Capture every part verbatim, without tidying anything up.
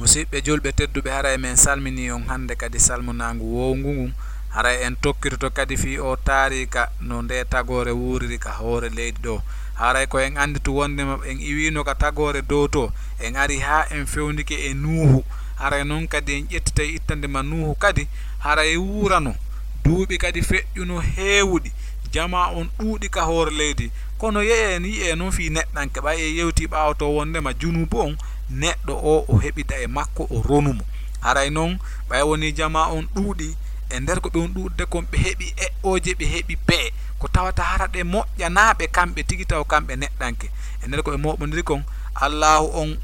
Musiɓɓe julɓe tedduɓe, haray men salminii on hannde kadi salminaangu woowngu ngun. Haray en tokkitoto kadi fii oo taariika no ndee tagoore wuuriri ka hoore leydi ɗoo. Haray ko en annditu wonndema en iwiino ka tagoore dow too, en ari haa en fewndike e Nuuhu. Haray non kadi en ƴettitay ittande ma Nuuhu kadi, haray wuurano duuɓi kadi feƴƴuno heewuɗi, jamaa on ɗuuɗi ka hoore leydi. Kono yeeyee en yi'ee non fii neɗɗanke, ɓay en yewtii ɓaawo too wonndema junuubu on, neɗɗo oo o heɓida e makko, o ronu mo. Haray non ɓay wonii jamaa on ɗuuɗii, e nder ko ɓe on ɗuuɗude kon ɓe heɓi eɓɓooje, ɓe heɓi pe'e, ko tawata hara ɗe moƴƴanaa ɓe kamɓe tigi taw kamɓe neɗɗanke. E nder ko ɓe mooɓondiri kon, Allaahu on,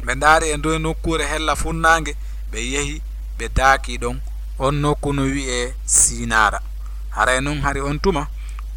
ɓe ndaari e ndoye nokkuure hella funnaange, ɓe yehi, ɓe daakii ɗon. On nokku no wi'ee Siinaara. Haray non hari on tuma,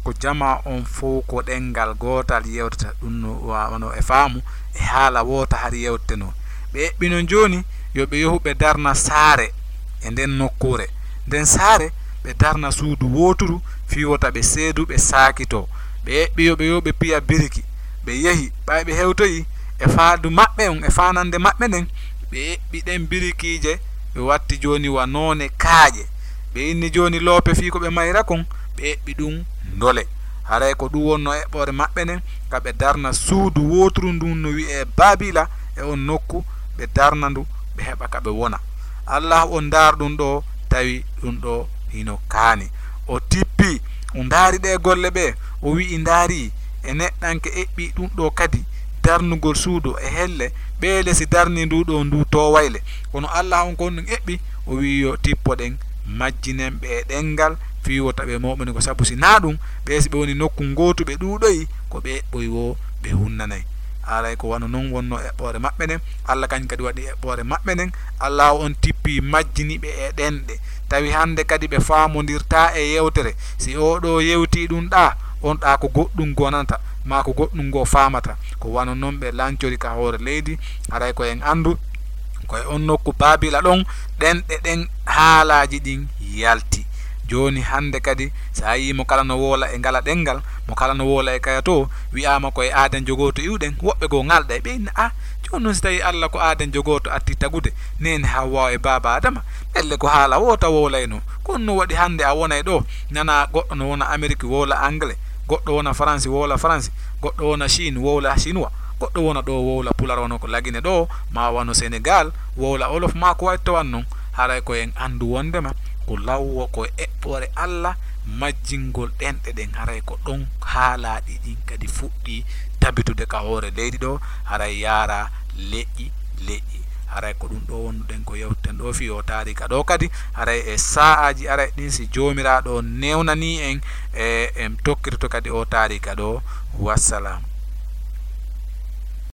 ko jamaa on fow ko ɗemngal gootal yewtata, ɗun no wa-, wano e faamu, e haala woota hari yewtetenoo. Ɓe eɓɓi non jooni yo ɓe yohu ɓe darna saare e nden nokkuure. Nden saare ɓe darna suudu wooturu fii wota ɓe seedu, ɓe saakitoo. Ɓe eɓɓi yo ɓe, yo ɓe piya biriki. Ɓe yehi, ɓay ɓe hewtoyii e faandu maɓɓe on, e faanannde maɓɓe nden, ɓe eɓɓi ɗen birikiije, ɓe watti jooni wa noone kaaƴe. Ɓe inni jooni loope fii ko ɓe mayra kon, ɓe eɓɓi ɗun ndole. Haray ko ɗun wonnoo eɓɓoore maɓɓe nden, ka ɓe darna suudu wooturu ndun no wi'ee Baabila, e on nokku ɓe darna ndu, ɓe heɓa ka ɓe wona. Allaahu on ndaar ɗun ɗoo, tawi ɗun ɗoo hino kaani. O tippii, o ndaari ɗee golle ɓee, o wi'i, ndaarii, e neɗɗanke eɓɓii ɗun ɗoo kadi, darnugol suudu e helle, ɓeele si darnii ndu ɗoo ndu toowayle. Kono Allaahu on ko on ɗun eɓɓi, o wi'i yo tippoɗen, majjinen ɓe e ɗemngal, fii wota ɓe mooɓoni ko sabu si naa ɗun, ɓee si ɓe woni nokku ngootu ɓe ɗuuɗoyi, ko ɓe eɓɓoyi woo ɓe hunnanay. Haray ko wano non wonnoo eɓɓoore maɓɓe nden, Alla kañum kadi waɗi eɓɓoore maɓɓe nden, Allaahu on tippii majjini ɓe e ɗenɗe. Tawi hannde kadi ɓe faamondirtaa e yewtere. Si oo ɗoo yewtii ɗun ɗaa, on ɗaa ko goɗɗun gonanta, maa ko goɗɗun ngoo faamata. Ko wano non ɓe lancori ka hoore leydi, haray ko en anndu, ko e on nokku Baabila ɗon, ɗenɗe ɗen haalaaji ɗin yalti. Jooni hannde kadi, si a yii mo kala no woola e ngala ɗemngal, mo kala no woola e kaya too, wi'aama ko e aadanjo gooto iwɗen, woɓɓe goo ŋalɗay, ɓe inna, "Ah, jooni non si tawii Alla ko aadanjo gooto arti tagude neene Hawwaa e baaba Aadama, ɗelle ko haala woota wowlaynoo. Ko honno waɗi hannde a wonay ɗoo, nanaa goɗɗo no wona Amerik wowla Angle, goɗɗo wona Faransi wowla Faransi, goɗɗo wona Chine wowla Chinois, goɗɗo wona ɗoo wowla Pular wano ko Lagine ɗoo, maa wano Senegal wowla Wolof, maa ko wayi tawon non?" Haray ko en anndu wonndema ko law woo ko eɓɓoore Alla majjingol ɗenɗe ɗen, haray ko ɗon haalaaɗi ɗin kadi fuɗɗii tabitude ka hoore leydi ɗoo, haray yaaraa leƴƴi leƴƴi. Haray ko ɗun ɗoo wonduɗen ko yewteten ɗoo fii oo taariika ɗoo kadi, haray e saa'aaji arayɗi ɗin, si Joomiraaɗo on newnanii en, e en tokkitoto kadi oo taariika ɗoo. Wassalam.